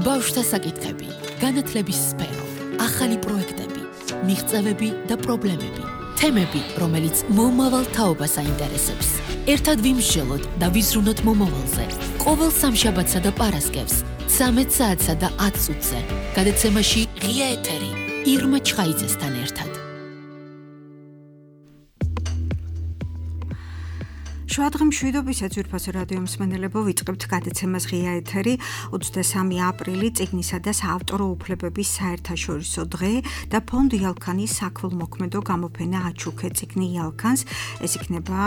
ბავშვთა საკითხები, განათლების სფერო, ახალი პროექტები, მიღწევები და პრობლემები, თემები, რომელიც მომავალ თაობას აინტერესებს. ერთად ვიმსჯელოთ და ვიზრუნოთ მომავალზე. ყოველ სამშაბათსა და პარასკევს 13 საათსა და 10 წუთზე. გადაცემაში ღია ეთერი ირმა ჩხაიძესთან ერთად. შუადღე მშვიდობისა ძვირფასო რადიო მსმენელებო, ვიწყებთ გადაცემას ღია ეთერი 23 აპრილი წიგნისა და საავტორო უფლებების საერთაშორისო დღე და ფონდ იალქანის საქველმოქმედო გამოფენა აჩუქე წიგნი იალქანს. ეს იქნება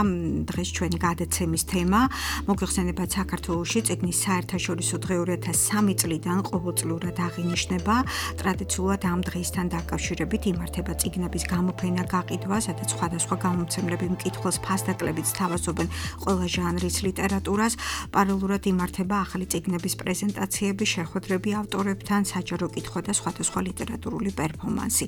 დღეს ჩვენი გადაცემის თემა. მოგეხსენებათ, საქართველოში წიგნის საერთაშორისო დღე 2003 წლიდან ყოველწლიურად აღინიშნება. ტრადიციულად ამ დღისთან დაკავშირებით იმართება წიგნების გამოფენა გაყიდვა, სადაც სხვადასხვა გამომცემლები მკითხველს ფასდაკლებით სთავაზობენ ყველა ჟანრის ლიტერატურას. პარალელურად იმართება ახალი წიგნების პრეზენტაციები, შეხვედრები ავტორებთან, საჯარო კითხვა და სხვადასხვა ლიტერატურული პერფორმანსი.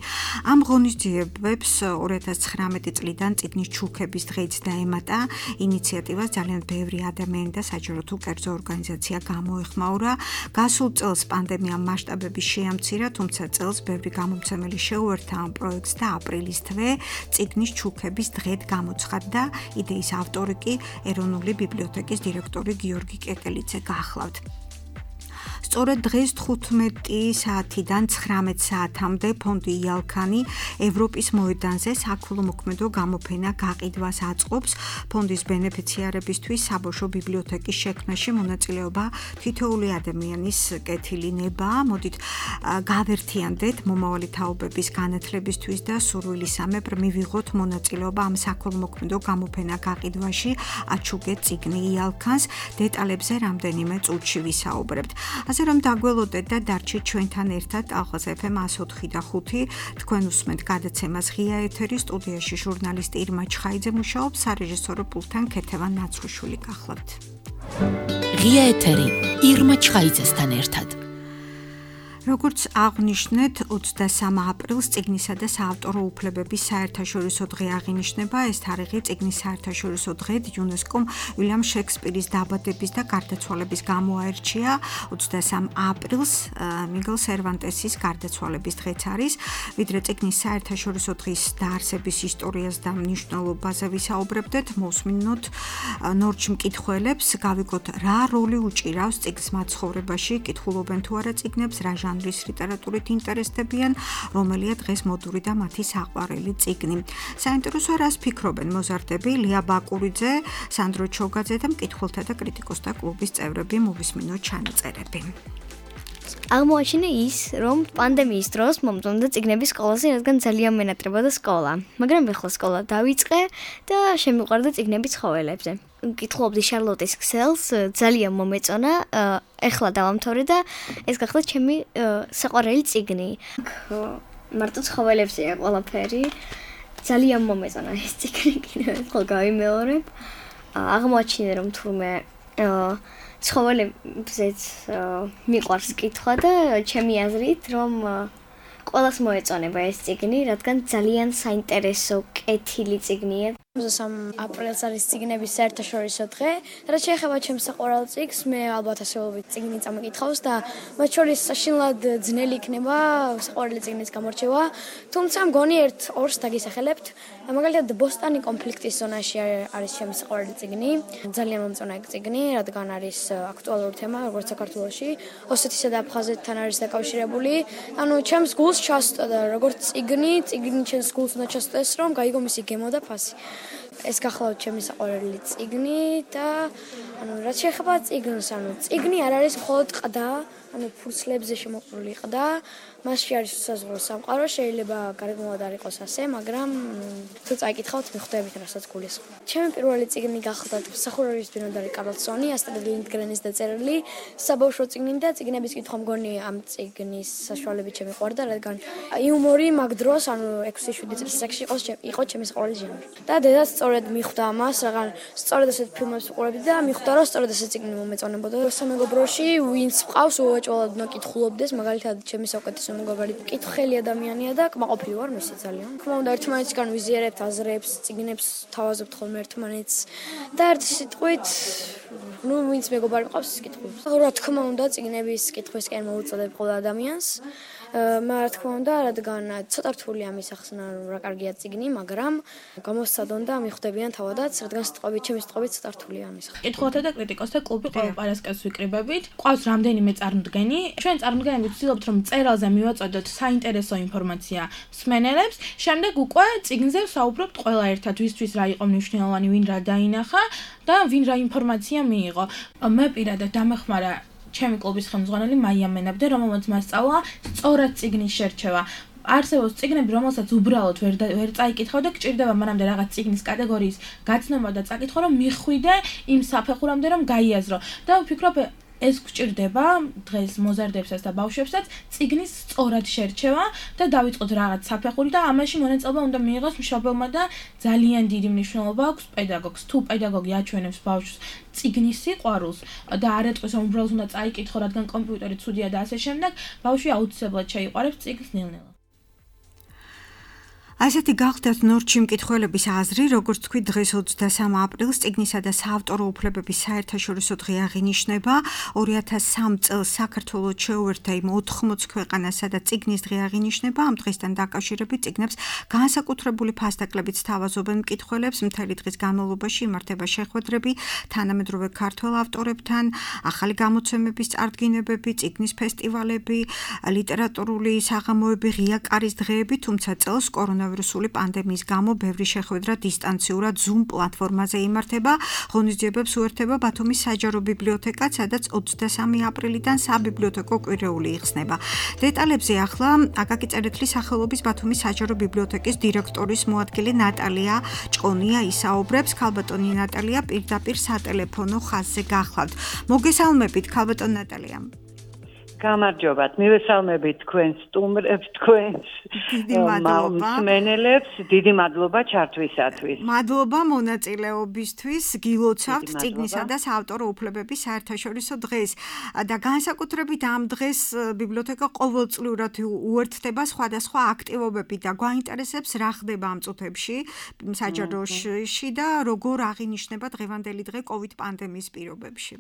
ამ ღონისძიებებს 2019 წლიდან წიგნის ჩუქების დღეც დაემატა. ინიციატივას ძალიან ბევრი ადამიანი და საჯარო თუ კერძო ორგანიზაცია გამოეხმაურა. გასულ წელს პანდემიამ მასშტაბები შეამცირა, თუმცა წელს ბევრი გამომცემელი შეუერთა ამ პროექტს და აპრილის თვე წიგნის ჩუქების დღედ გამოცხადდა. იდეის ავტორი კი ეროვნული ბიბლიოთეკის დირექტორი გიორგი კეკელიძე გახლავთ. სწორედ დღეს 15 საათიდან 19 საათამდე ფონდი იალქანი ევროპის მოედანზე საქველმოქმედო გამოფენა გაყიდვას აწყობს. ფონდის ბენეფიციარებისთვის საბავშვო ბიბლიოთეკის შექმნაში მონაწილეობა თითოეული ადამიანის კეთილი ნება. მოდით გავერთიანდეთ მომავალი თაობების განათლებისთვის და სურვილისამებრ მივიღოთ მონაწილეობა ამ საქველმოქმედო გამოფენა გაყიდვაში აჩუქე წიგნი იალქანს. დეტალებზე რამდენიმე წუთში ვისაუბრებთ. ასე რომ დაგველოდეთ და დარჩით ჩვენთან ერთად ალღაზ FM 104 და 5. თქვენ უსმენთ გადაცემას ღია ეთერი, სტუდიაში ჟურნალისტი ირმა ჩხაიძე მუშაობს, სარეჟისორო პულტთან ქეთევან ნაცხვიშვილი გახლავთ. ღია ეთერი ირმა ჩხაიძესთან ერთად. როგორც აღვნიშნეთ, 23 აპრილს წიგნისა და საავტორო უფლებების საერთაშორისო დღე აღინიშნება. ეს თარიღი წიგნის საერთაშორისო დღედ იუნესკომ უილიამ შექსპირის დაბადების და გარდაცვალების გამო აერჩია. 23 აპრილს მიგელ სერვანტესის გარდაცვალების დღეც არის. ვიდრე წიგნის საერთაშორისო დღის დაარსების ისტორიას და მნიშვნელობაზე ვისაუბრებდეთ, მოსმინოთ ნორჩ მკითხველებს, გავიგოთ რა როლი უჭირავს წიგნს მათ ცხოვრებაში, კითხულობენ თუ არა წიგნებს, რა ჟანრის ლიტერატურით ინტერესდებიან, რომელია დღეს მოდური და მათი საყვარელი წიგნი. საინტერესოა, რას ფიქრობენ მოზარდები, ლია ბაკურიძე, სანდრო ჩოგაძე და მკითხველთა და კრიტიკოსთა კლუბის წევრები. მოვისმინოთ ჩანაწერები. აღმოაჩინე ის, რომ პანდემიის დროს მომწონდა წიგნების სკოლაზე, რადგან ძალიან მენატრებოდა სკოლა. მაგრამ ახლა სკოლა დავიწყე და შემიყვარდა წიგნების ცხოველებზე. მკითხულობდი შარლოტის ქსელს, ძალიან მომეწონა, ახლა დავამთავრე და ეს გახდა ჩემი საყვარელი წიგნი. მარტო ცხოველებზეა ყველაფერი. ძალიან მომეწონა ეს წიგნი, კიდევ ერთხელ გავიმეორებ. აღმოაჩინე, რომ თურმე ცხოველებზეც მიყვარს კითხვა და ჩემი აზრით, რომ ყველას მოეწონება ეს წიგნი, რადგან ძალიან საინტერესო კეთილი წიგნია. 23 აპრილს არის წიგნების საერთაშორისო დღე. რაც შეეხება ჩემს საყვარელ წიგნს, მე ალბათ ასეულობით წიგნი წამიკითხავს და მათ შორის საშინლად ძნელი იქნება საყვარელი წიგნის გამორჩევა. თუმცა მგონი ერთ-ორს დაგისახელებთ. მაგალითად, ბოსტანი კონფლიქტის ზონაში არის ჩემი საყვარელი წიგნი. ძალიან მომწონა ეგ წიგნი, რადგან არის აქტუალური თემა, როგორც საქართველოში, ოსეთისა და აფხაზეთთან არის დაკავშირებული. ანუ ჩემს გულს ჩასწოდა და როგორც წიგნი ჩემს გულს უნდა ჩასწოდეს, რომ გაიგო მისი გემო და ფასი. ეს გახლავთ ჩემი საყვარელი წიგნი და რაც შეეხება წიგნს, წიგნი არ არის მხოლოდ ყდა, ფურცლებზე შემოყრილი ყდა, მასში არის უსაზღვრო სამყარო, შეიძლება გარეგნულად არ იყოს ასე, მაგრამ თუ წაიკითხავთ, მიხვდებით, რასაც გულისხმობ. ჩემი პირველი წიგნი გახლავთ მსახურების ბინადარი კარლსონი, ასტრიდ ლინდგრენის დაწერილი საბავშვო წიგნი და წიგნების კითხვა მგონი ამ წიგნის საშუალებით შემიყვარდა, რადგან იუმორი მაგ დროს, 6-7 წლის ასაკში იყო ჩემი საყვარელი ჟანრი. და დედაც სწორედ მიხვდა ამას, რადგან სწორედ ასეთ ფილმებს ვუყურებდი და მიხვდა, რომ სწორედ ასეთ წიგნი მომეწონებოდა. სამეგობროში ვინც მყავს, უეჭველად უნდა კითხულობდეს, მაგალითად, ჩემი საუკეთესო მეგობარი კითხელი ადამიანია და კმაყოფილი ვარ მისი ძალიან. თქმა უნდა, ერთმანეთისგან ვიზიარებთ აზრებს, წიგნებს თავაზობთ ხოლმე ერთმანეთს და ერთი სიტყვით ნუ ვინც მეგობარი მყავს ის კითხულობს. რა თქმა უნდა, წიგნების კითხვისკენ მოუწოდებ ყოველ ადამიანს. რა თქმა უნდა, რადგან ცოტა რთული ამის ახსნა, რა კარგია წიგნი, მაგრამ გამოსცადონ და მიხვდებიან თავადაც, რადგან ჩემი სიტყვებით ცოტა რთულია ამის ახსნა. კითხულთა და კრიტიკოსთა კლუბი ყოველ პარასკევს ვიკრიბებით. ყავს რამდენიმე წარმოდგენი. ჩვენ წარმოდგენებით ვცდილობთ, რომ მწერალზე მივაწოდოთ საინტერესო ინფორმაცია მსმენელებს. შემდეგ უკვე წიგნზე ვსაუბრობთ ყველა ერთად, ვისთვის რა იყო მნიშვნელოვანი, ვინ რა დაინახა და ვინ რა ინფორმაცია მიიღო. მე პირადად დამეხმარა ჩემი კლუბის ხელმძღვანელი მაია მენაბდე, რომელმაც მასწავლა სწორად წიგნის შერჩევა. არსებობს წიგნები, რომელსაც უბრალოდ ვერ წაიკითხავ და გჭირდება მანამდე რაღაც წიგნის კატეგორიის გაცნობა და წაკითხვა, რომ მიხვიდე იმ საფეხურამდე, რომ გაიაზრო. და ვფიქრობ, ეს გჭირდება დღეს მოზარდებსაც და ბავშვებსაც წიგნის სწორად შერჩევა და დავიწყოთ რაღაც საფეხური და ამაში მონაწილეობა უნდა მიიღოს მშობელმა და ძალიან დიდი მნიშვნელობა აქვს პედაგოგს. თუ პედაგოგი აჩვენებს ბავშვს წიგნის სიყვარულს და არ ეტყვის, რომ უბრალოდ უნდა წაიკითხო, რადგან კომპიუტერი ცუდია და ასე შემდეგ, ბავშვი აუცილებლად შეიყვარებს წიგნს ნელ-ნელა. ასეთი გახდათ ნორჩი მკითხველების აზრი, როგორც თქვი, დღეს 23 აპრილს წიგნისა და საავტორო უფლებების საერთაშორისო დღე აღინიშნება. 2003 წელს საქართველოს შეუერთდა იმ 80 ქვეყანას, სადაც წიგნის დღე აღინიშნება. ამ დღესთან დაკავშირებით წიგნებს განსაკუთრებული ფასდაკლებით სთავაზობენ მკითხველებს. მთელი დღის განმავლობაში იმართება შეხვედრები თანამედროვე ქართველ ავტორებთან, ახალი გამოცემების წარდგინებები, წიგნის ფესტივალები, ლიტერატურული საღამოები, ღია კარის დღეები, თუმცა წელს კორონავირუსული პანდემიის გამო ბევრი შეხვედრა დისტანციურად Zoom პლატფორმაზე იმართება. ღონისძიებებს უერთდება ბათუმის საჯარო ბიბლიოთეკა, სადაც 23 აპრილიდან საბიბლიოთეკო კვირეული იხსნება. დეტალებზე ახლა აკაკი წერეთლის სახელობის ბათუმის საჯარო ბიბლიოთეკის დირექტორის მოადგილე ნატალია ჭყონია ისაუბრებს. ქალბატონი ნატალია პირდაპირ სატელეფონო ხაზზე გახლავთ. მოგესალმებით, ქალბატონ ნატალია. გამარჯობათ, მივესალმებით თქვენს სტუმრებს, თქვენს მსმენელებს, დიდი მადლობა ჩართვისათვის. მადლობა მონაწილეობისთვის, გილოცავთ წიგნისა და საავტორო უფლებების საერთაშორისო დღეს და განსაკუთრებით ამ დღეს ბიბლიოთეკა ყოველწლიურად უერთდება სხვადასხვა აქტივობებით და გვაინტერესებს რა ხდება ამ წუთებში საჯაროში და როგორ აღინიშნება დღევანდელი დღე COVID პანდემიის პირობებში.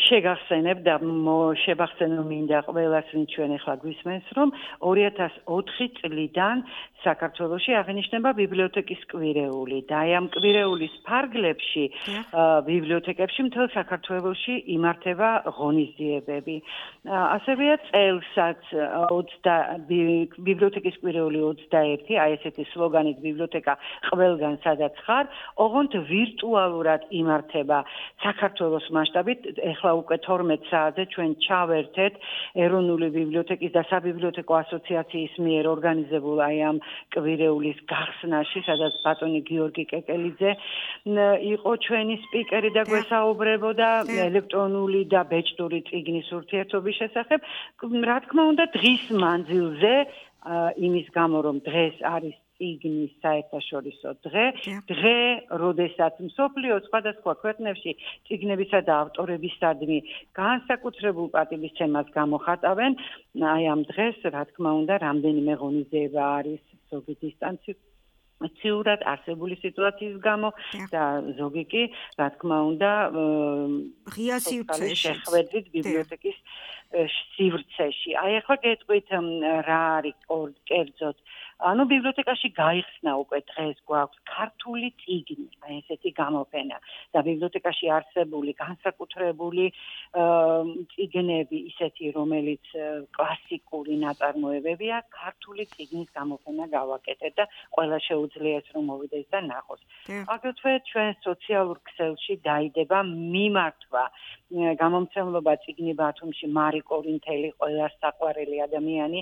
შეგახსენებ და შევახსენო მინდა ყველას, ვინც ჩვენ ახლა გვისმენს, რომ 2004 წლიდან საქართველოში აღინიშნება ბიბლიოთეკის კვირეული და აი ამ კვირეულის ფარგლებში ბიბლიოთეკებში მთელ საქართველოში იმართება ღონისძიებები. ასევეა წელსაც ბიბლიოთეკის კვირეული 21, აი ესეთი სლოგანით ბიბლიოთეკა ყველგან სადაც ხარ, ოღონდ ვირტუალურად იმართება საქართველოს მასშტაბით. ეხლა უკვე 12 საათზე ჩვენ ჩავერთეთ ეროვნული ბიბლიოთეკის და საბიბლიოთეკო ასოციაციის მიერ ორგანიზებულ აი ამ კვირეულის გახსნაში, სადაც ბატონი გიორგი კეკელიძე იყო ჩვენი სპიკერი და გვესაუბრებოდა ელექტრონული და ბეჭდური წიგნის ურთიერთობის შესახებ. რა თქმა უნდა, დღის მანძილზე იმის გამო, რომ დღეს არის წიგნის საერთაშორისო დღე, როდესაც მსოფლიოს სხვადასხვა ქვეყნებში წიგნებისა და ავტორებისადმი განსაკუთრებულ პატივისცემას გამოხატავენ, აი ამ დღეს, რა თქმა უნდა, რამდენიმე ღონისძიება არის ზოგი დისტანციურად არსებული სიტუაციის გამო და ზოგი კი, რა თქმა უნდა, ღია სივრცეში შეხვედრით ბიბლიოთეკის სივრცეში. აი ახლა გეტყვით რა არის კერძოდ. ანუ ბიბლიოთეკაში გაიხსნა უკვე დღეს გვაქვს ქართული წიგნი, აი ესეთი გამოფენა და ბიბლიოთეკაში არსებული განსაკუთრებული წიგნები, ისეთი რომელიც კლასიკური ნაწარმოებებია, ქართული წიგნის გამოფენა გავაკეთეთ და ყველა შეუძლია ეს რომ მოვიდეს და ნახოს. აგრეთვე ჩვენ სოციალურ ქსელში დაიდება მიმართვა გამომცემლობა წიგნი ბათუმში მარი კორინთელი, ყველა საყვარელი ადამიანი,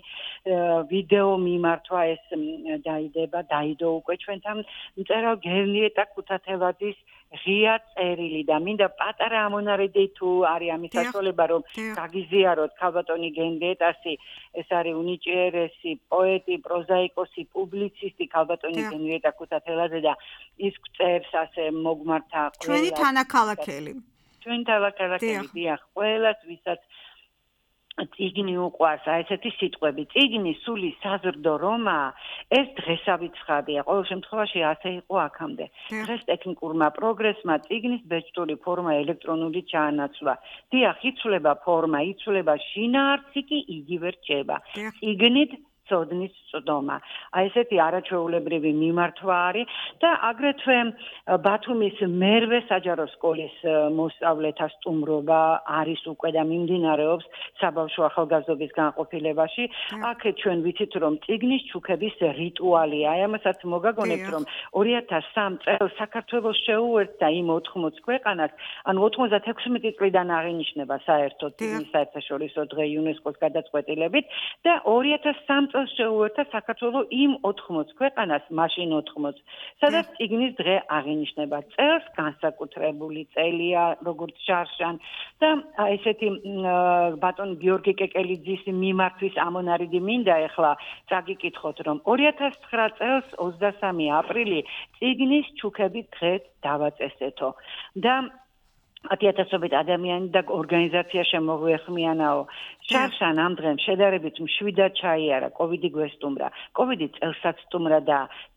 ვიდეო მიმართვა ეს დაიდო უკვე ჩვენთან მწერალ გერნიეტა ქუთათელაძის ღია წერილი და მინდა პატარა ამონარიდი თუ არის ამის საშუალება, რომ გაგიზიაროთ ქალბატონი გერნიეტასი, ეს არის უნიჭიერესი პოეტი, პროზაიკოსი, პუბლიცისტი ქალბატონი გერნიეტა ქუთათელაძე და ის წერს ასე მოგმართა ჩვენი თანაქალაქელი. ჩვენ თანაქალაქელი, დიახ, ყველას ვისაც წიგნი უყვარს, აი ესეთი სიტყვები. წიგნი სული საზრდო რომაა, ეს დღესავით ცხადია. ყოველ შემთხვევაში ასე იყო აქამდე. დღეს ტექნიკურმა პროგრესმა წიგნის ბეჭდური ფორმა ელექტრონული ჩაანაცვლა. დიახ, იცვლება ფორმა, იცვლება შინაარსი კი იგივე რჩება. წიგნით ცოდნის წვდომა. აი ესეთი არაჩვეულებრივი მიმართვა არის და აგრეთვე ბათუმის მერვე საჯარო სკოლის მოსწავლეთა სტუმრობა არის უკვე და მიმდინარეობს საბავშვო ახალგაზრდობის განყოფილებაში. აქეთ ჩვენ ვიცით, რომ წიგნის ჩუქების რიტუალია. აი ამასაც მოგაგონებთ, რომ 2003 წელს საქართველოს შეუერთდა იმ 80 ქვეყანას, ანუ 96 წლიდან აღინიშნება საერთოდ წიგნის საერთაშორისო დღე იუნესკოს გადაწყვეტილებით და 2003 წელს შეუერთდა საქართველოს იმ 80 ქვეყანას, მაშინ 80, სადაც წიგნის დღე აღინიშნება. წელს განსაკუთრებული წელია, როგორც შარშან და ესეთი ბატონ გიორგი კეკელიძის მიმართვის ამონარიდი მინდა ეხლა წაგიკითხოთ, რომ 2009 წელს 23 აპრილი წიგნის ჩუქების დღე დავაწესეთო და 10,000-ობით ადამიანი და ორგანიზაცია შემოგვეხმიანაო. შარშან ამ დღემ შედარებით მშვიდად ჩაიარა, კოვიდი გვესტუმრა. კოვიდი წელსაც სტუმრა,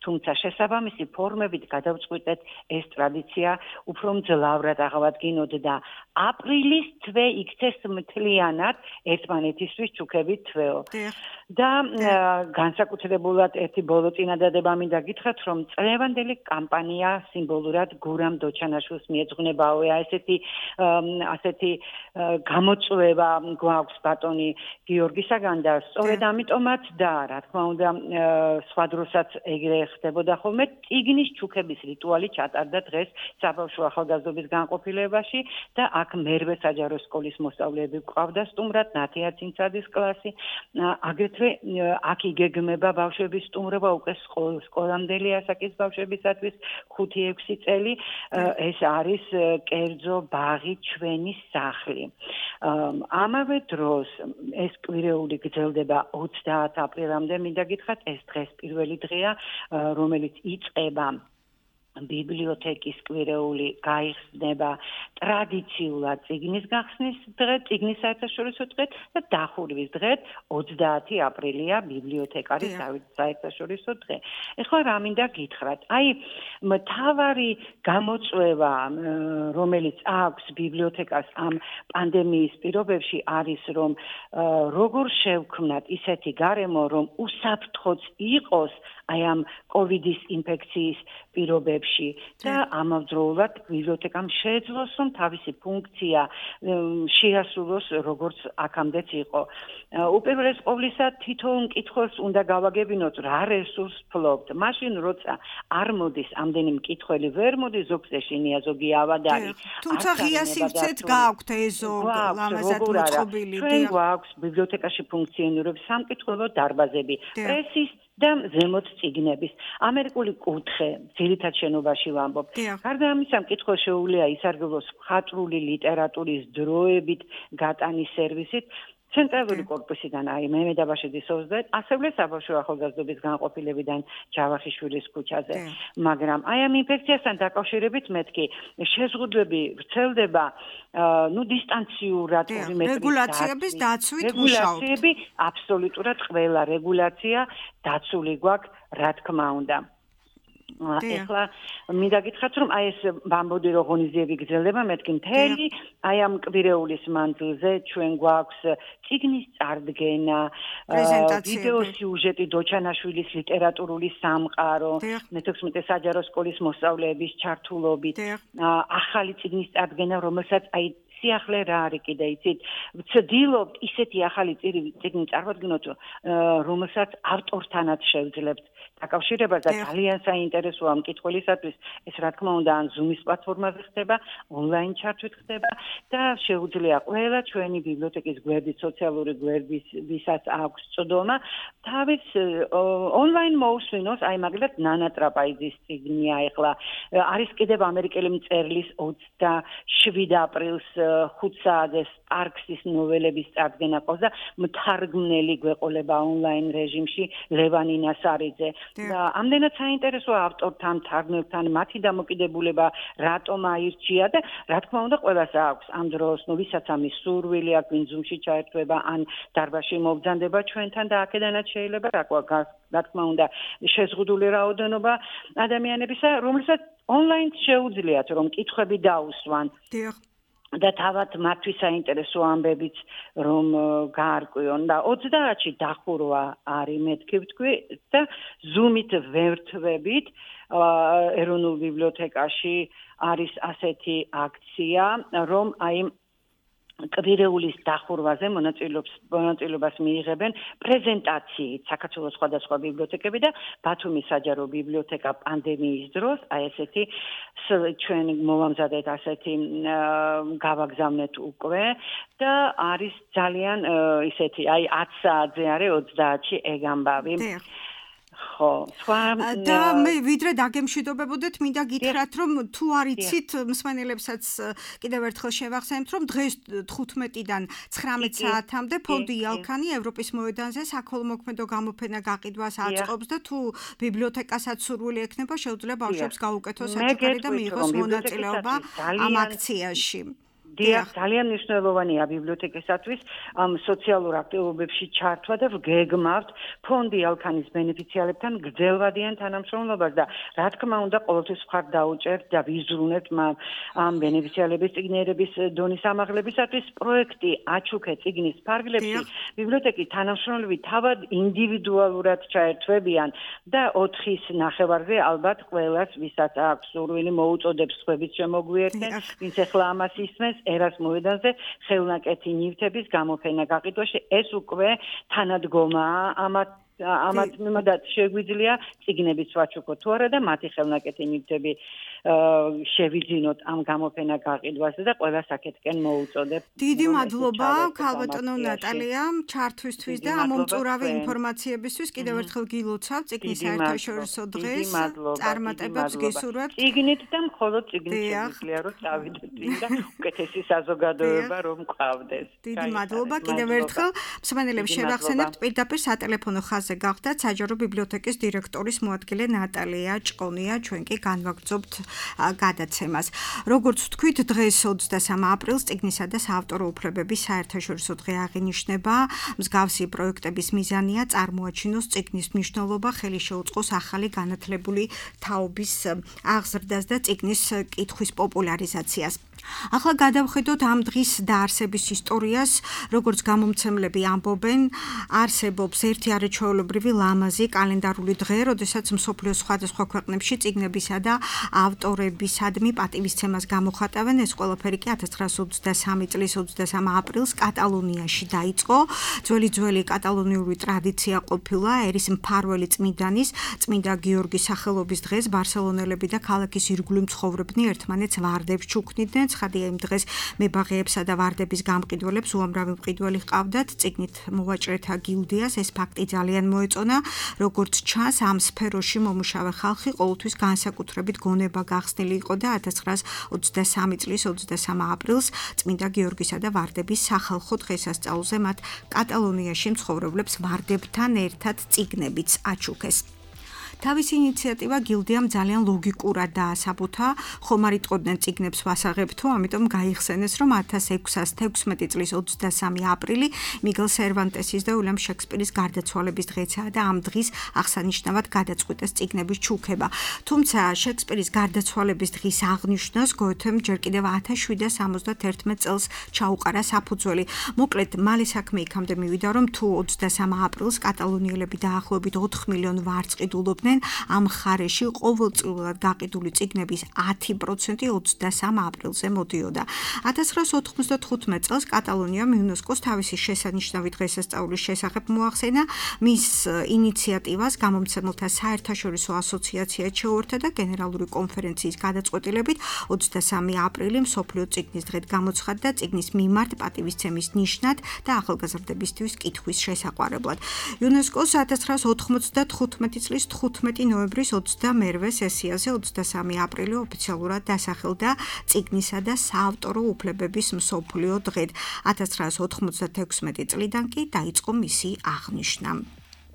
თუმცა შესაბამისი ფორმებით გადავწყვიტეთ ეს ტრადიცია უფრო მძლავრად აღავადგინოთ და აპრილის თვე იქცეს მთლიანად ერთმანეთისთვის ჩუქებით თვეო. და განსაკუთრებულად ერთი ბოლო წინადადება მინდა გითხრათ, რომ წლევანდელი კამპანია სიმბოლურად გურამ დოჩანაშვილს მიეძღვნებაო. ასეთი გამოწვევა გვაქვს ბატონი გიორგისაგან და სწორედ ამიტომაც და რა თქმა უნდა სხვა დროსაც ეგრე ხდებოდა ხოლმე წიგნის ჩუქების რიტუალი ჩატარდა დღეს საბავშვო ახალგაზრდობის განყოფილებაში და აქ მერვე საჯარო სკოლის მოსწავლეები გვყავდა სტუმრად, ნათია ცინცაძის კლასი. აგრეთვე აქ იგეგმება ბავშვების სტუმრობა უკვე სკოლამდელი ასაკის ბავშვებისათვის 5-6 წელი. ეს არის კერძო ბაღი ჩვენი სახლი. ამავე დროს ეს კვირეული გრძელდება 30 აპრილამდე, მინდა გითხრათ, ეს დღეს პირველი დღეა, რომელიც იწყება ბიბლიოთეკის კვირეული გაიხსნება ტრადიციულად წიგნის გახსნის დღე, წიგნის საერთაშორისო დღე და დახურვის დღე 30 აპრილია ბიბლიოთეკარის საერთაშორისო დღე. ეხლა რა მინდა გითხრათ? აი მთავარი გამოწვევა, რომელიც აქვს ბიბლიოთეკას ამ პანდემიის პირობებში არის, რომ როგორ შევქმნათ ისეთი გარემო, რომ უსაფრთხოც იყოს აი ამ კოვიდის ინფექციის პირობებში და ამავდროულად ბიბლიოთეკამ შეეძლოს, რომ თავისი ფუნქცია შეასრულოს როგორც აქამდეც იყო. უპირველეს ყოვლისა თითოეულ მკითხველს უნდა გავაგებინოთ რა რესურს ფლობთ. მაშინ როცა არ მოდის ამდენი მკითხველი ვერ მოდის, ზოგს ეშინია, ზოგი ავადარი. თუმცა ღია სივრცეთ გააქვთ ეზო ლამაზად მოწყობილი. ჩვენ გვაქვს ბიბლიოთეკაში ფუნქციონირებს სამკითხველო დარბაზები, პრესის და ზემოთ წიგნების. ამერიკული კუთხე ძირითად შენობაში ვამბობ. გარდა ამისა, მკითხველს შეუძლია ისარგებლოს მხატვრული ლიტერატურის დროებით გატანის სერვისით. ცენტრალური კორპუსიდან აი მემედაბაშიძის 20, ასევე საბავშვო ახალგაზრდობის განყოფილებიდან ჯავახიშვილის ქუჩაზე. მაგრამ აი ამ ინფექციასთან დაკავშირებით მეთქი შეზღუდვები ვრცელდება დისტანციურად 2 მეტრის რეგულაციების დაცვით მუშაობთ. რეგულაციები აბსოლუტურად ყველა რეგულაცია დაცული გვაქვს, რა თქმა უნდა. ეხლა მინდა გითხრათ, რომ აი ეს ვამბობდი, რომ ღონისძიები გრძელდება, მეთქი მთელი აი ამ კვირეულის მანძილზე ჩვენ გვაქვს წიგნის წარდგენა, ვიდეო სიუჟეტი დოჩანაშვილის ლიტერატურული სამყარო, მე-16 საჯარო სკოლის მოსწავლეების ჩართულობით, ახალი წიგნის წარდგენა, რომელსაც აი სიახლე რა არის კიდე იცით, ვცდილობთ ისეთი ახალი წიგნი წარმოვადგინოთ, რომელსაც ავტორთანაც შევძლებთ დაკავშირებას და ძალიან საინტერესოა მკითხველისათვის. ეს რა თქმა უნდა ან Zoom-ის პლატფორმაზე ხდება, ონლაინ ჩართვით ხდება და შეუძლია ყველა ჩვენი ბიბლიოთეკის გვერდით, სოციალური გვერდის, ვისაც აქვს წვდომა, თავის ონლაინ მოусვინოს, აი მაგალითად ნანა ტრაპაიძის წიგნია ეხლა. არის კიდევ ამერიკელი მწერლის 27 აპრილს 5 საათზე სპარქსის ნოველების წარდგენა ყავს და მთარგმნელი გვეყოლება ონლაინ რეჟიმში ლევან ინასარიძე. თემაზე. და ამდენად საინტერესო ავტორთან, თარგმნელთან მათი დამოკიდებულება რატომ აირჩია და რა თქმა უნდა ყველას აქვს ამ დროს, ვისაც ამის სურვილი აქვს, ვინ ზუმში ჩაერთვება ან დარბაზში მობრძანდება ჩვენთან და აქედანაც შეიძლება რა თქმა უნდა შეზღუდული რაოდენობა ადამიანებისა, რომლებსაც ონლაინ შეუძლიათ რომ კითხვები დაუსვან. და თავად მათთვის საინტერესო ამბებიც რომ გაარკვიონ და 30-ში დახურვა არის მეთქი ვთქვი და Zoom-ით ვერთვებით ეროვნულ ბიბლიოთეკაში არის ასეთი აქცია რომ აი კვირეულის დახურვაზე მონაწილეობას მიიღებენ პრეზენტაციით საქართველოს სხვადასხვა ბიბლიოთეკები და ბათუმის საჯარო ბიბლიოთეკა პანდემიის დროს აი ესეთი ჩვენ მოვამზადეთ ასეთი გავაგზავნეთ უკვე და არის ძალიან ისეთი აი 10 საათზე არის 30-ში ეგ ამბავი ხო, და მე ვიდრე დაგემშვიდობებოდეთ, მინდა გითხრათ, რომ თუ არიცით, მსმენელებსაც კიდევ ერთხელ შევახსენებთ, რომ დღეს 15-დან 19 საათამდე ფონდი იალქანი ევროპის მოედანზე საქველმოქმედო გამოფენა გაყიდვას აწყობს და თუ ბიბლიოთეკასაც სურვილი ექნება, შეუძლია ბავშვებს გაუკეთოს საჩუქარი და მიიღოს მონაწილეობა ამ აქციაში. დიახ, ძალიან მნიშვნელოვანია ბიბლიოთეკისათვის ამ სოციალურ აქტივობებში ჩართვა და ვგეგმავთ ფონდი ალქანის ბენეფიციარებთან გრძელვადიან თანამშრომლობას და რა თქმა უნდა ყოველთვის მხარ დაუჭერთ და ვიზრუნებთ ამ ბენეფიციარების წიგნიერების დონის ამაღლებისათვის პროექტი აჩუქე წიგნის ფარგლებში ბიბლიოთეკის თანამშრომლები თავად ინდივიდუალურად ჩაერთვებიან და 4-ის ნახევარზე ალბათ ყველას ვისაც აქვს სურვილი მოუწოდებს სხვების შემოგვიერთდნენ ვინც ახლა ამას ისმენს ერას მოედანზე ხელნაკეთი ნივთების გამოფენა გაყიდვაში ეს უკვე თანადგომაა ამათ მიმართ შეგვიძლია წიგნების ვაჩუქოთ თუ არა და მათი ხელნაკეთი ნივთები შევიძინოთ ამ გამოფენა გაყიდვაზე და ყველა საკეთკენ მოუწოდებ. დიდი მადლობა ქალბატონო ნატალია ჩართვისთვის და ამ მომწურავი ინფორმაციებისთვის კიდევ ერთხელ გილოცავ წიგნის საერთაშორისო დღეს წარმატებებს გისურვებთ. წიგნით და მხოლოდ წიგნით შეგვიძლია რომ წავიდეთ და უკეთესი საზოგადოება რომ გყავდეს. დიდი მადლობა კიდევ ერთხელ მსმენელებს შევახსენებთ პირდაპირ სატელეფონო ხაზზე გახდათ საჯარო ბიბლიოთეკის დირექტორის მოადგილე ნატალია ჭყონია ჩვენ კი განვაგრძობთ გადაცემას. როგორც ვთქვით, დღეს 23 აპრილს წიგნისა და საავტორო უფლებების საერთაშორისო დღე აღინიშნება. მსგავსი პროექტების მიზანია წარმოაჩინოს წიგნის მნიშვნელობა, ხელი შეუწყოს ახალი განათლებული თაობის აღზრდას და წიგნის კითხვის პოპულარიზაციას. ახლა გადავხედოთ ამ დღის დაარსების ისტორიას, როგორც გამომცემლები ამბობენ, არსებობს ერთი არაჩვეულებრივი ლამაზი კალენდარული დღე, როდესაც მსოფლიოს სხვადასხვა ქვეყნებში წიგნებისა და ავტორებისადმი პატივისცემას გამოხატავენ. ეს ყველაფერი კი 1923 წლის 23 აპრილს კატალონიაში დაიწყო. ძველი კატალონიური ტრადიცია ყოფილა ერის მფარველი წმინდანის, წმინდა გიორგის სახელობის დღეს ბარსელონელები და ქალაქის ირგვლივ მცხოვრებნი ერთმანეთს ვარდებს ჩუქნიდნენ. ცხადია იმ დღეს მებაღეებსა და ვარდების გამყიდველებს უამრავი მყიდველი ჰყავდათ. წიგნით მოვაჭრეთა გილდიას ეს ფაქტი ძალიან მოეწონა. როგორც ჩანს, ამ სფეროში მომუშავე ხალხი ყოველთვის განსაკუთრებით გონება გახსნილი იყო და 1923 წლის 23 აპრილს წმინდა გიორგისა და ვარდების სახალხო დღესასწაულზე მათ კატალონიაში მცხოვრებლებს ვარდებთან ერთად წიგნებიც აჩუქეს. თავისი ინიციატივა გილდიამ ძალიან ლოგიკურად დაასაბუთა, ხომ არ იტყოდნენ წიგნებს ვასაღებთო, ამიტომ გაიხსენეს, რომ 1616 წლის 23 აპრილი მიგელ სერვანტესის და უილიამ შექსპირის გარდაცვალების დღეცაა და ამ დღის აღსანიშნავად გადაწყვიტეს წიგნების ჩუქება. თუმცა შექსპირის გარდაცვალების დღის აღნიშვნას გოეთემ ჯერ კიდევ 1771 წელს ჩაუყარა საფუძველი. მოკლედ, მალე საქმე იქამდე მივიდა, რომ თუ 23 აპრილს კატალონიელები დაახლოებით 4 მილიონ ვარწყიდულობდნენ ამ მხარეში ყოველწლიურად გაყიდული წიგნების 10% 23 აპრილზე მოდიოდა. 1995 წელს კატალონიამ იუნესკოს თავისი შესანიშნავი დღესასწაულის შესახებ მოახსენა. მის ინიციატივას გამომცემელთა საერთაშორისო ასოციაცია შეუერთდა და გენერალური კონფერენციის გადაწყვეტილებით 23 აპრილი მსოფლიო წიგნის დღედ გამოცხადდა წიგნის მიმართ პატივისცემის ნიშნად და ახალგაზრდებისთვის კითხვის შესაყვარებლად. იუნესკოს 1995 წლის 15 ნოემბრის 22 სესიაზე 23 აპრილი ოფიციალურად დასახელდა წიგნისა და საავტორო უფლებების მსოფლიო დღედ. 1996 წლიდან კი დაიწყო მისი აღნიშვნა.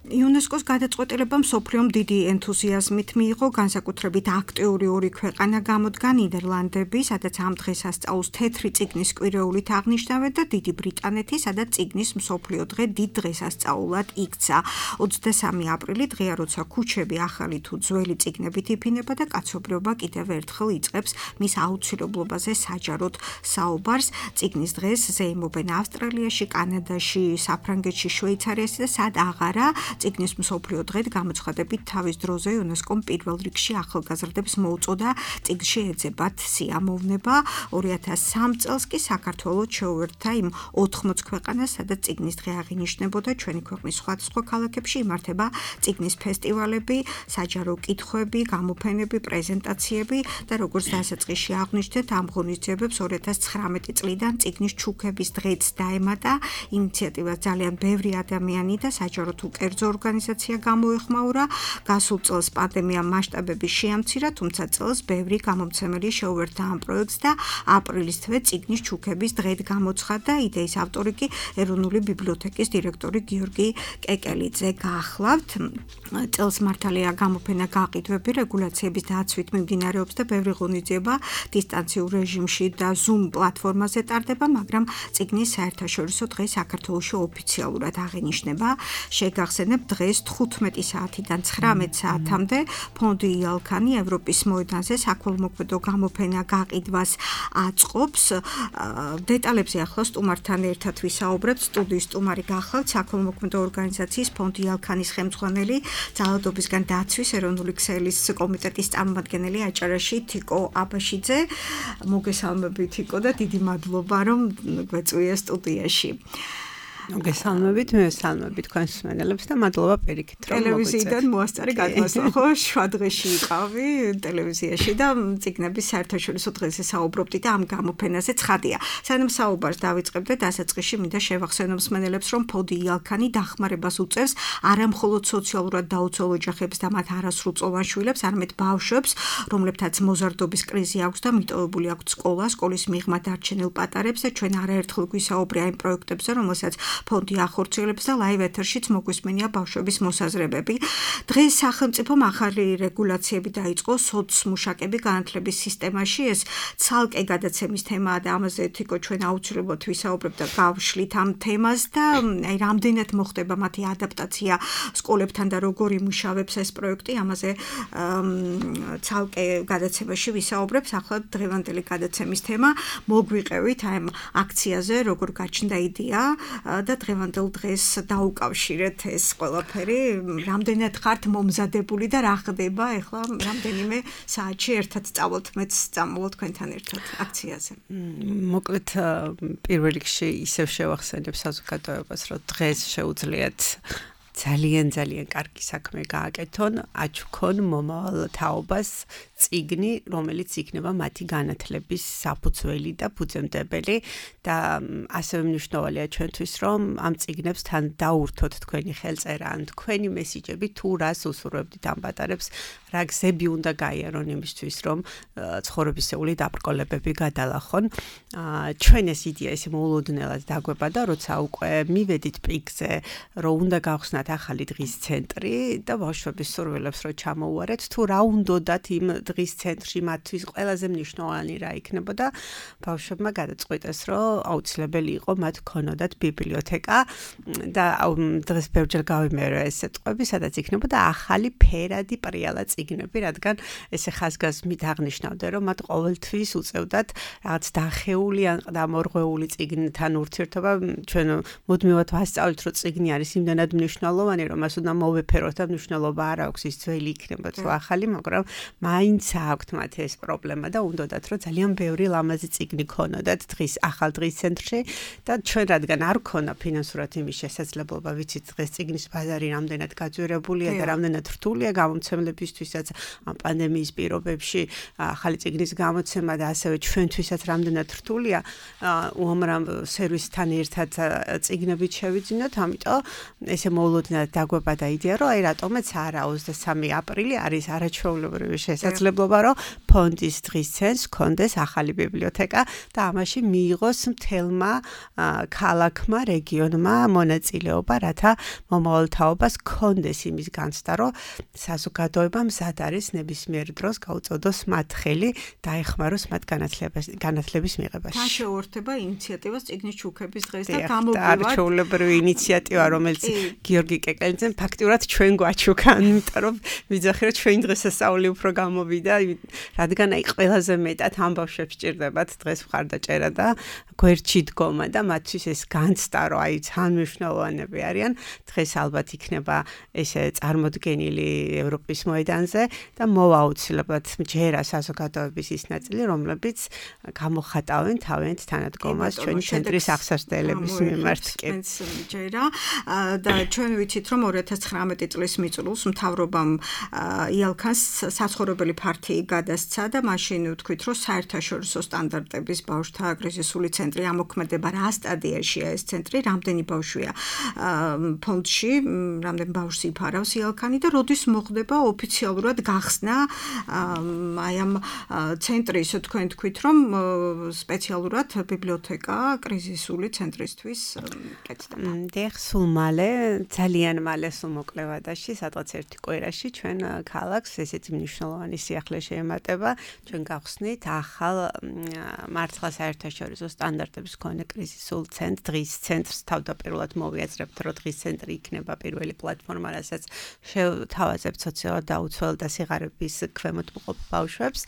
იუნესკოს გადაწყვეტილება მსოფლიომ დიდი ენთუზიაზმით მიიღო, განსაკუთრებით აქტიური ორი ქვეყანა გამოდგა ნიდერლანდები, სადაც ამ დღესასწაულს თეთრი წიგნის კვირეულით აღნიშნავენ და დიდი ბრიტანეთი, სადაც წიგნის მსოფლიო დღე დიდ დღესასწაულად იქცა. 23 აპრილი დღეა, როცა ქუჩები ახალი თუ ძველი წიგნებით იფინება და კაცობრიობა კიდევ ერთხელ იწყებს მის აუცილებლობაზე საჯაროდ საუბარს. წიგნის დღეს ზეიმობენ ავსტრალიაში, კანადაში, საფრანგეთში, შვეიცარიაში და სად აღარა. წიგნის მსოფლიო დღედ გამოცხადებით თავის დროზე იუნესკომ პირველ რიგში ახალგაზრდებს მოუწოდა წიგნში ეძებათ სიამოვნება. 2003 წელს კი საქართველოს შეუერთდა იმ 80 ქვეყანას, სადაც წიგნის დღე აღინიშნებოდა. ჩვენი ქვეყნის სხვადასხვა ქალაქებში იმართება წიგნის ფესტივალები, საჯარო კითხვები, გამოფენები, პრეზენტაციები და როგორც დასაწყისში აღვნიშნეთ, ამ ღონისძიებებს 2019 წლიდან წიგნის ჩუქების დღეც დაემატა. ინიციატივას ძალიან ბევრი ადამიანი და საჯარო თუ კერძო ორგანიზაცია გამოეხმაურა. გასულ წელს პანდემიამ მასშტაბები შეამცირა, თუმცა წელს ბევრი გამომცემელი შეუერთდა ამ პროექტს და აპრილის თვე წიგნის ჩუქების დღედ გამოცხადდა. იდეის ავტორი კი ეროვნული ბიბლიოთეკის დირექტორი გიორგი კეკელიძე. გაახლავთ წელს მართალია გამოფენა გაყიდვები რეგულაციების დაცვით მიმდინარეობს და ბევრი ღონისძიება დისტანციურ რეჟიმში და Zoom პლატფორმაზე ტარდება, მაგრამ წიგნის საერთაშორისო დღე საქართველოში ოფიციალურად აღინიშნება. შეგახსენებ დღეს 15 საათიდან 19 საათამდე ფონდი იალქანი ევროპის მოედანზე საქველმოქმედო გამოფენა გაყიდვას აწყობს. დეტალებზე ახლა სტუმართან ერთად ვისაუბრებთ. სტუდიის სტუმარი გახლავთ საქველმოქმედო ორგანიზაციის ფონდი იალქანის ხელმძღვანელი, ძალადობისგან დაცვის ეროვნული ქსელის კომიტეტის წარმომადგენელი აჭარაში თიკო აბაშიძე. მოგესალმებით თიკო და დიდი მადლობა რომ გვეწვია სტუდიაში. მოგესალმებით, მივესალმებით თქვენს მსმენელებს და მადლობა პირიქით რომ ტელევიზიიდან მოასწარი გადმოსვლა. ხო, შვადღეში იყავი ტელევიზიაში და წიგნების საერთაშორისო დღეზე საუბრობდი და ამ გამოფენაზე ცხადია. სანამ საუბარს დავიწყებ და დასაწყისში მინდა შევახსენო მსმენელებს, რომ ფონდი იალქანი დახმარებას უწევს არა მხოლოდ სოციალურად დაუცველ ოჯახებს და მათ არასრულწლოვან შვილებს, არამედ ბავშვებს, რომლებთაც მოზარდობის კრიზი აქვს და მიტოვებული აქვთ სკოლა, სკოლის მიღმა დარჩენილ პატარებს და ჩვენ არაერთხელ გვისაუბრია იმ პროექტებზე, რომელსაც ფონდი ახორციელებს და ლაივ ეთერშიც მოგვისმენია ბავშვების მოსაზრებები. დღეს სახელმწიფომ ახალი რეგულაციები დაიწყო სოცმუშაკები განათლების სისტემაში. ეს ცალკე გადაცემის თემაა და ამაზე თიკო ჩვენ აუცილებლად ვისაუბრებთ და გავშლით ამ თემას და აი რამდენად მოხდება მათი ადაპტაცია სკოლებთან და როგორ იმუშავებს ეს პროექტი. ამაზე ცალკე გადაცემაში ვისაუბრებს. ახლა დღევანდელი გადაცემის თემა მოგვიყევით აი ამ აქციაზე, როგორ გაჩნდა იდეა და დღევანდელ დღეს დაუკავშირეთ ეს ყველაფერი. რამდენად ხართ მომზადებული და რა ხდება ახლა რამდენიმე საათში ერთად სწავლოთ, მეც წამოვალ თქვენთან ერთად აქციაზე. მოკლედ პირველ რიგში ისევ შევახსენებ საზოგადოებას, რომ დღეს შეუძლიათ ძალიან კარგი საქმე გააკეთონ, აჩუქონ მომავალ თაობას წიგნი, რომელიც იქნება მათი განათლების საფუძველი და ფუძემდებელი და ასევე მნიშვნელოვანია ჩვენთვის, რომ ამ წიგნებს თან დაურთოთ თქვენი ხელწერა ან თქვენი მესიჯები, თუ რას უსურვებდით ამ პატარებს, რა გზები უნდა გაიარონ იმისთვის, რომ ცხოვრებისეული დაბრკოლებები გადალახონ. ჩვენ ეს იდეა ისე მოულოდნელად დაგვებადა, როცა უკვე მივედით პიკზე, რომ უნდა გავხსნათ ახალი დღის ცენტრი და ბავშვების სურვილებს რო ჩამოუარეთ, თუ რა უნდათ იმ დღის ცენტრში მათთვის ყველაზე მნიშვნელოვანი რა იქნებოდა, ბავშვებმა გადაწყვიტეს, რომ აუცილებელი იყო მათ ქონოდათ ბიბლიოთეკა და დღეს ბევრჯერ გავიმეორე ეს სიტყვები, სადაც იქნებოდა ახალი ფერადი პრიალა წიგნები, რადგან ესე ხაზგასმით აღნიშნავდნენ, რომ მათ ყოველთვის უწევდათ რაღაც დახეული ან დამორღვეული წიგნთან ურთიერთობა. ჩვენ მუდმივად ვასწავლით, რომ წიგნი არის იმდანად მნიშვნელოვანი, რომ მას უნდა მოვეფეროთ და მნიშვნელობა არ აქვს, ის ძველი იქნება თუ ახალი, მაგრამ მაინც აქვთ მათ ეს პრობლემა და უნდათ, რომ ძალიან ბევრი ლამაზი წიგნი ქონოდათ ახალ დღის ცენტრში და ჩვენ რადგან არ ქონა ფინანსურად იმის შესაძლებლობა, ვიცით დღეს წიგნის ბაზარი რამდენად გაძვირებულია და რამდენად რთულია გამომცემლებისთვისაც ამ პანდემიის პირობებში ახალი წიგნის გამოცემა და ასევე ჩვენთვისაც რამდენად რთულია უამრავ სერვისთან ერთად წიგნებით შევიძინოთ, ამიტომ ესე მოულოდნელად დაგვებადა იდეა, რომ აი რატომაც არა 23 აპრილი არის არაჩვეულებრივი შესაძლებლობა, რომ ფონდის დღის ცენტრს კონდეს ახალი ბიბლიოთეკა და ამაში მიიღოს მთელმა ქალაქმა, რეგიონმა მონაწილეობა, რათა მომავალ თაობას კონდეს იმის განცდა, რომ საზოგადოება მზად არის ნებისმიერ დროს გაუწოდოს მათ ხელი და ეხმაროს მათ განათლების მიღებაში. თან შეუერთება ინიციატივას წიგნის ჩუქების დღეს და გამოვიდეთ. არჩეულებრივი ინიციატივა, რომელიც გიორგი კეკელიძემ ფაქტიურად ჩვენ გვაჩუქა, იმიტომ რომ ვიძახი რომ ჩვენ დღესასწაული უფრო გამოვიდა, რადგან აი ყველაზე მეტად ამ ბავშვებს ჭირდებათ დღეს მხარდაჭერა და გვერდში დგომა და მათთვის ეს განცდა, რომ აი თანმიმდევრიანები არიან, დღეს ალბათ იქნება ესე წარმოდგენილი ევროპის მოედანზე და მოვა აუცილებლად ჯერა საზოგადოების ის ნაწილი, რომლებიც გამოხატავენ თავიანთ თანადგომას ჩვენი ცენტრის აღსასწრებლების მიმართ. ჯერა და ჩვენ ვიცით, რომ 2019 წლის მიწურულს მთავრობამ იალქანს საცხოვრებელი ფართი გადასცა და მაშინ ვთქვით, რომ საერთაშორისო სტანდარტების ბავშვთა კრიზისული ცენტრი ამოქმედება რა სტადიაშია ეს ცენტრი, რამდენი ბავშვია ფონდში, რამდენი ბავშვს იფარავს იალქანი და როდის მოხდება ოფიციალურად გახსნა აი ამ ცენტრის, თქვენ თქვით, რომ სპეციალურად ბიბლიოთეკა კრიზისული ცენტრისთვის კეთდება. სულ მალე, ძალიან მალე სულ მოკლევადაში, სადღაც ერთი კვირაში ჩვენ ქალაქს ესეთი მნიშვნელოვანი სიახლე შეემატება, ჩვენ გავხსნით ახალ მართლა საერთაშორისო სტანდარტების მქონე კრიზისულ ცენტრს, დღის ცენტრს თავდაპირველად მოვიაზრებთ, რომ დღის ცენტრი იქნება პირველი პლატფორმა, რასაც შევთავაზებთ სოციალურად დაუცველ და სიღარიბის ქვემოთ მყოფ ბავშვებს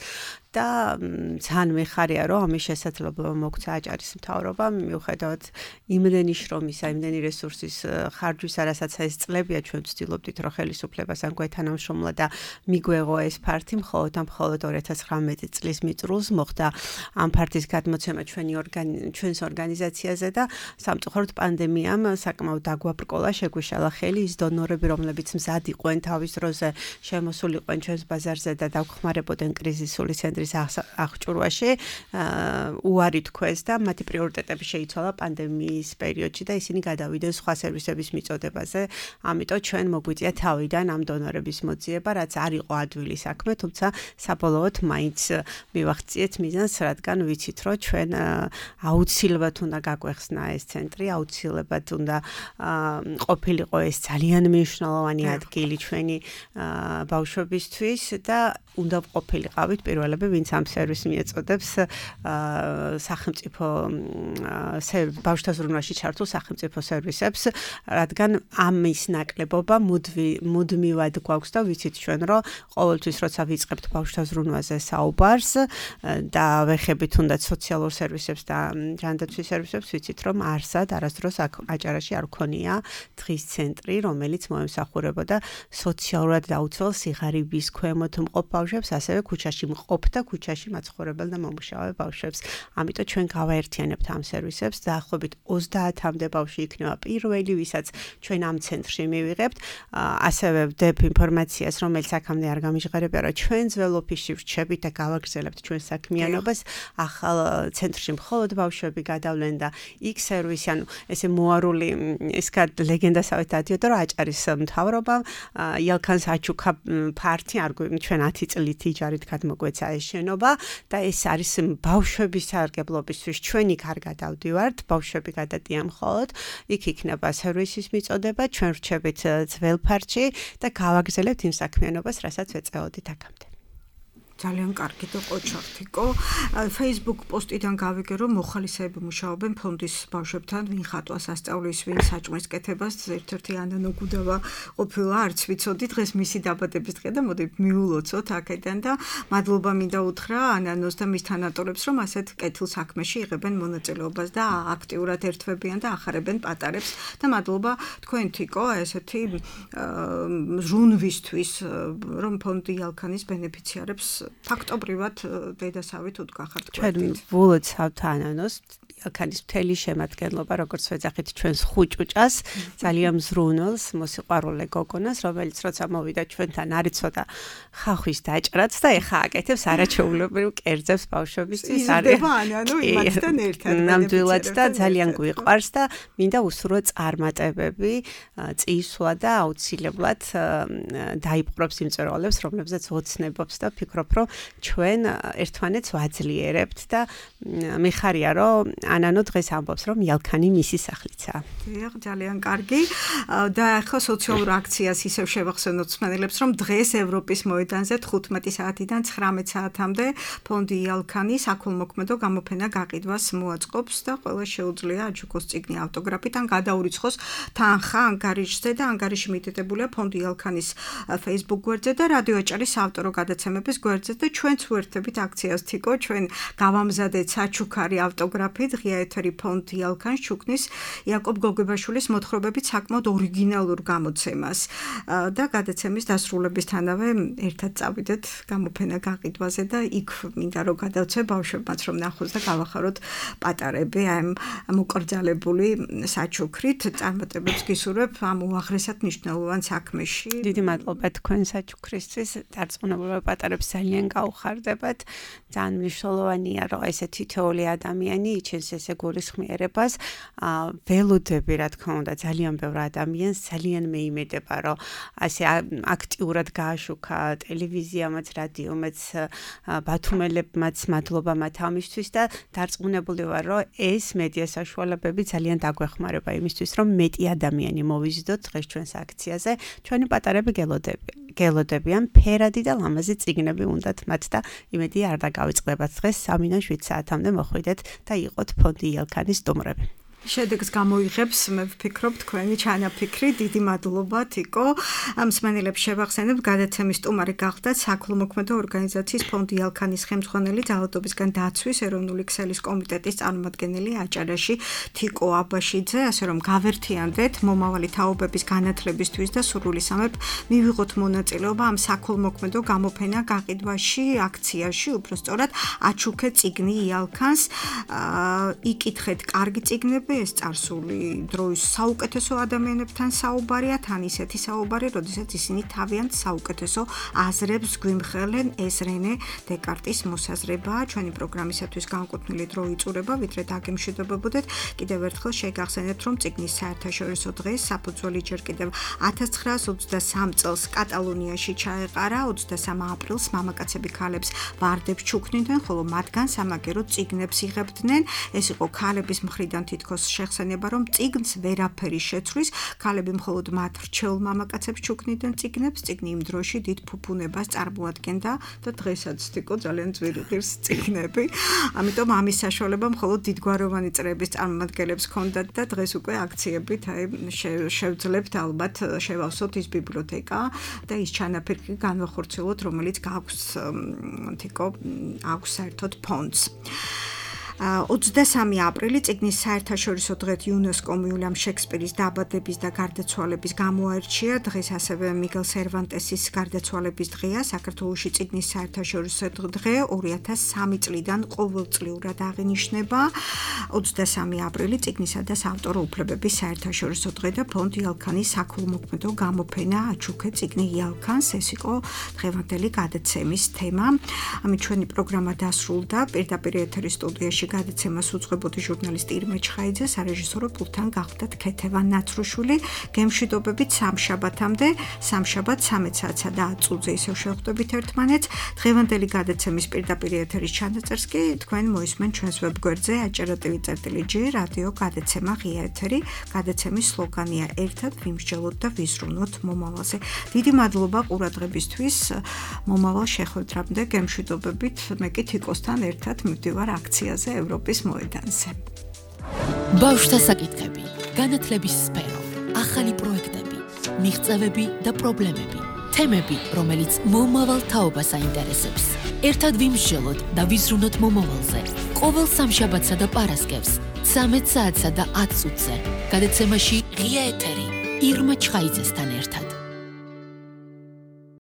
და ძალიან მიხარია, რომ ამის შესაძლებლობა მოგცა აჭარის მთავრობამ, მიუხედავად იმდენი შრომისა, იმდენი რესურსის ხარჯვისა, რასაც ეს წლებია ჩვენ ვცდილობდით, რომ ხელისუფლებასთან გვეთანამშრომლა და მიგვეღო ეს ფართი, მხოლოდ 2019 წლის მიწურულს მოხდა ამ ფართის გადმოცემა ჩვენს ორგანიზაციაზე და სამწუხაროდ პანდემიამ საკმაოდ დაგვაბრკოლა, შეგვიშალა ხელი ის დონორები, რომლებიც მზად იყვნენ თავის დროზე შემოსულიყვნენ ჩვენს ბაზარზე და დავხმარებოდნენ კრიზისული ცენტრის აღჭურვაში, უარი თქვეს და მათი პრიორიტეტები შეიცვალა პანდემიის პერიოდში და ისინი გადავიდნენ სხვა სერვისების მიწოდებაზე. ამიტომ ჩვენ მოგვიწია თავიდან ამ დონორების მოძიება, რაც არ იყო ადვილი საქმე, თუმცა საბოლოოდ მაინც მივახციეთ მიზანს, რადგან ვიცით, რომ ჩვენ აუცილებლად უნდა გაგვეხსნა ეს ცენტრი, აუცილებლად უნდა ყოფილიყო ეს ძალიან მნიშვნელოვანი ადგილი ჩვენი ბავშვებისთვის და უნდა ყოფილიყავით პირველები, ვინც ამ სერვისს მიეწოდებს სახელმწიფო ბავშვთა ზრუნვაში ჩართულ სახელმწიფო სერვისებს, რადგან ამის ნაკლებობა მუდმივად გვაქვს და ვიცით ჩვენ, რომ ყოველთვის როცა ვიწყებთ ბავშვთა ზრუნვაზე საუბარს და ვეხებით თუნდაც სოციალურ სერვისებს და ჯანდაცვის სერვისებს, ვიცით, რომ არასდროს აჭარაში არ ქონია დღის ცენტრი, რომელიც მოემსახურებოდა სოციალურად დაუცველ სიღარიბის ქვემოთ მყოფ ბავშვებს, ასევე ქუჩაში მყოფ და ქუჩაში მაცხოვრებელ და მომუშავე ბავშვებს. ამიტომ ჩვენ გავაერთიანებთ ამ სერვისებს, დაახლოებით 30-მდე ბავშვი იქნება პირველი, ვისაც ჩვენ ამ ცენტრში მივიღებთ. ასევე ვდებ ინფორმაციას, რომელიც აქამდე არ გამიჟღერებია, რომ ჩვენ ძველ ოფისში ვრჩებით და გავაგრძელებთ ჩვენ საქმიანობას. ახალ ცენტრში მხოლოდ ბავშვები გადავლენ და იქ სერვისი, ანუ ესე მოარული ეს ლეგენდასავით დადიოდა, რომ აჭარის მთავრობამ იალქანს აჩუქა ფართი, ჩვენ 10 წლით იჯარით გადმოგვეცა ეს შენობა და ეს არის ბავშვების სარგებლობისთვის. ჩვენ იქ არ გადავდივართ, ბავშვები გადადიან მხოლოდ, იქ იქნება სერვისის მიწოდება, ჩვენ ვრჩებით ძველ ფართში და გავაგრძელებთ იმ საქმიანობას, რასაც ვეწეოდით აქამდე. ძალიან კარგი და ყოჩართიკო. Facebook პოსტიდან გავიგე, რომ მოხალისეები მუშაობენ ფონდის ბავშვებთან, ვინ ხატვას ასწავლის, ვინ საჭმლის კეთებას, ერთ-ერთი ანანო გუდავა ყოფილა, არც ვიცოდი, დღეს მისი დაბადების დღე და მოდი მიულოცოთ აქედან და მადლობა მინდა უთხრა ანანოს და მის თანატორებს, რომ ასეთ კეთილ საქმეში იღებენ მონაწილეობას და აქტიურად ერთვებიან და ახარებენ პატარებს და მადლობა თქვენთიკო, ესეთი ზრუნვისთვის, რომ ფონდი იალქანის ბენეფიციარებს ფაქტობრივად დედასავით უდგახართ. ჩვენ ვულოცავთ ანანოს ელქანის მთელი შემადგენლობა, როგორც ვეძახით ჩვენს ხუჭუჭას, ძალიან მზრუნველს, მოსიყვარულე გოგონას, რომელიც როცა მოვიდა ჩვენთან არის ცოტა ხახვის დაჭრაც და ეხა აკეთებს არაჩვეულებრივ კერძებს ბავშვებისთვის. იზრდება ანუ იმათთან ერთად. ნამდვილად და ძალიან გვიყვარს და მინდა უსურვო წარმატებები, წისვლა და აუცილებლად დაიპყრობს იმ მწერლებს, რომლებზეც ოცნებობს და ფიქრობ, რომ ჩვენ ერთმანეთს ვაძლიერებთ და მიხარია, რომ ანანო დღეს ამბობს, რომ ელქანი მისი სახლიცაა. დიახ, ძალიან კარგი. და ახლა სოციალურ აქციას ისევ შევახსენოთ მსმენელებს, რომ დღეს ევროპის მოედანზე 15 საათიდან 19 საათამდე ფონდი ელქანი საქველმოქმედო გამოფენა გაყიდვას მოაწყობს და ყველა შეუძლია აჩუქოს წიგნი ავტოგრაფით ან გადაურიცხოს თანხა ანგარიშზე და ანგარიში მითითებულია ფონდი ელქანის Facebook გვერდზე და რადიო აჭარის ავტორო გადაცემების გვერდზე და ჩვენც ვერთებით აქციას თიკო ჩვენ გავამზადეთ საჩუქარი ავტოგრაფით ღია ეთერი ფონდი ელქანს ჩუქნის იაკობ გოგებაშვილის მოთხრობებით საკმაოდ ორიგინალურ გამოცემას და გადაცემის დასრულებისთანავე ერთად წავიდეთ გამოფენა გაყიდვაზე და იქ მინდა რომ გადავცე ბავშვებმაც რომ ნახოს და გავახაროთ პატარები ამ მოკრძალებული საჩუქრით წარმატებებს გისურვებ ამ უაღრესად მნიშვნელოვან საქმეში. დიდი მადლობა თქვენ საჩუქრისთვის. დარწმუნებულება პატარებს ძალიან გაუხარდებათ. ძალიან მნიშვნელოვანია რომ ესე თითოეული ადამიანი იჩენს ესე გულისხმიერებას. ველოდები რა თქმა უნდა ძალიან ბევრ ადამიანს ძალიან მეიმედება რომ ასე აქტიურად გააშუქა ტელევიზიამაც, რადიომაც, ბათუმელებმაც მადლობა მათ ამისთვის და დარწმუნებული ვარ რომ ეს მედია საშუალებები ძალიან დაგვეხმარება იმისთვის რომ მეტი ადამიანი მოვიზიდოთ დღეს ჩვენს აქციაზე. ჩვენი პატარები გელოდებიან ფერადი და ლამაზი წიგნები უნდათ მათ და იმედი არ დაგავიწყდებათ დღეს 3-დან 7 საათამდე მოხვიდეთ და იყოთ ფონდი ელქანის სტუმრები. შედეგს გამოიღებს მე ვფიქრობ თქვენი ჩანაფიქრი დიდი მადლობა თიკო მსმენელებს შევახსენებ გადაცემის სტუმარი გახდათ საქველმოქმედო ორგანიზაციის ფონდი ელქანის ხელმძღვანელი ძალადობისგან დაცვის ეროვნული ქსელის კომიტეტის წარმომადგენელი აჭარაში თიკო აბაშიძე ასე რომ გავერთიანდეთ მომავალი თაობების განათლებისთვის და სურვილისამებრ მივიღოთ მონაწილეობა ამ საქველმოქმედო გამოფენა გაყიდვაში აქციაში უბრალოდ აჩუქე წიგნი ელქანს იკითხეთ კარგი წიგნები ეს წარსული დროის საუკეთესო ადამიანებთან საუბარია, თან ისეთი საუბარი, როდესაც ისინი თავიანთ საუკეთესო აზრებს გვიმხელენ, ეს რენე დეკარტის მოსაზრებაა. ჩვენი პროგრამისათვის განკუთვნილი დრო იწურება, ვიდრე დაგემშვიდობებოდეთ. კიდევ ერთხელ შეგახსენებთ, რომ წიგნის საერთაშორისო დღეს საფუძველი ჯერ კიდევ 1923 წელს კატალონიაში ჩაეყარა, 23 აპრილს მამაკაცები ქალებს ვარდებს ჩუქნიდნენ, ხოლო მათგან სამაგერო წიგნებს იღებდნენ. ეს იყო ქალების მხრიდან თითქოს შეხსენება, რომ წიგნს ვერაფერი შეცვლის, ქალები მხოლოდ მათ რჩეულ მამაკაცებს ჩუქნიდნენ წიგნებს, წიგნი იმ დროში დიდ ფუფუნებას წარმოადგენდა და დღესაც თიკო ძალიან ძვირი ღირს წიგნები. ამიტომ ამის საშუალება მხოლოდ დიდგვაროვანი წრეების წარმომადგენლებს ჰქონდათ და დღეს უკვე აქციებით შევძლებთ ალბათ შევავსოთ ის ბიბლიოთეკა და ის ჩანაფიქრი განვახორციელოთ, რომელიც გაქვს თიკო აქვს საერთოდ ფონდს. 23 აპრილი წიგნის საერთაშორისო დღეთ იუნესკომ უილიამ შექსპირის დაბადების და გარდაცვალების გამოარჩია. დღეს ასევე მიგელ სერვანტესის გარდაცვალების დღეა. საქართველოში წიგნის საერთაშორისო დღე 2003 წლიდან ყოველწლიურად აღინიშნება. 23 აპრილი წიგნისა და საავტორო უფლებების საერთაშორისო დღე და ფონდი ელქანის საქველმოქმედო გამოფენა აჩუქე წიგნი ელქანს. ეს იყო დღევანდელი გადაცემის თემა. ამით ჩვენი პროგრამა დასრულდა. პირდაპირ ეთერის სტუდიაში გადაცემას უძღვებოდი ჟურნალისტი ირმა ჩხაიძე, სარეჟისორო პულტთან გახდათ ქეთევან ნაცრუშვილი. გემშვიდობებით სამშაბათამდე, სამშაბათ 13 საათსა და 10 წუთზე ისევ შევხვდებით ერთმანეთს. დღევანდელი გადაცემის პირდაპირ ეთერის ჩანაწერს კი თქვენ მოისმენთ ჩვენს ვებგვერდზე aჭara.tv/g რადიო გადაცემა ღია ეთერი. გადაცემის სლოგანია ერთად ვიმსჯელოთ და ვიზრუნოთ მომავალზე. დიდი მადლობა ყურადღებისთვის. მომავალ შეხვედრამდე გემშვიდობებით. მე კი თიკოსთან ერთად მივდივარ აქციაზე ევროპის მოედანზე. ბავშვთა საკითხები, განათლების სფერო, ახალი პროექტები, მიღწევები და პრობლემები, თემები, რომელიც მომავალ თაობას აინტერესებს. ერთად ვიმსჯელოთ და ვიზრუნოთ მომავალზე. ყოველ სამშაბათსა და პარასკევს 13 საათსა და 10 წუთზე. გადაცემაში ღია ეთერი ირმა ჩხაიძესთან ერთად.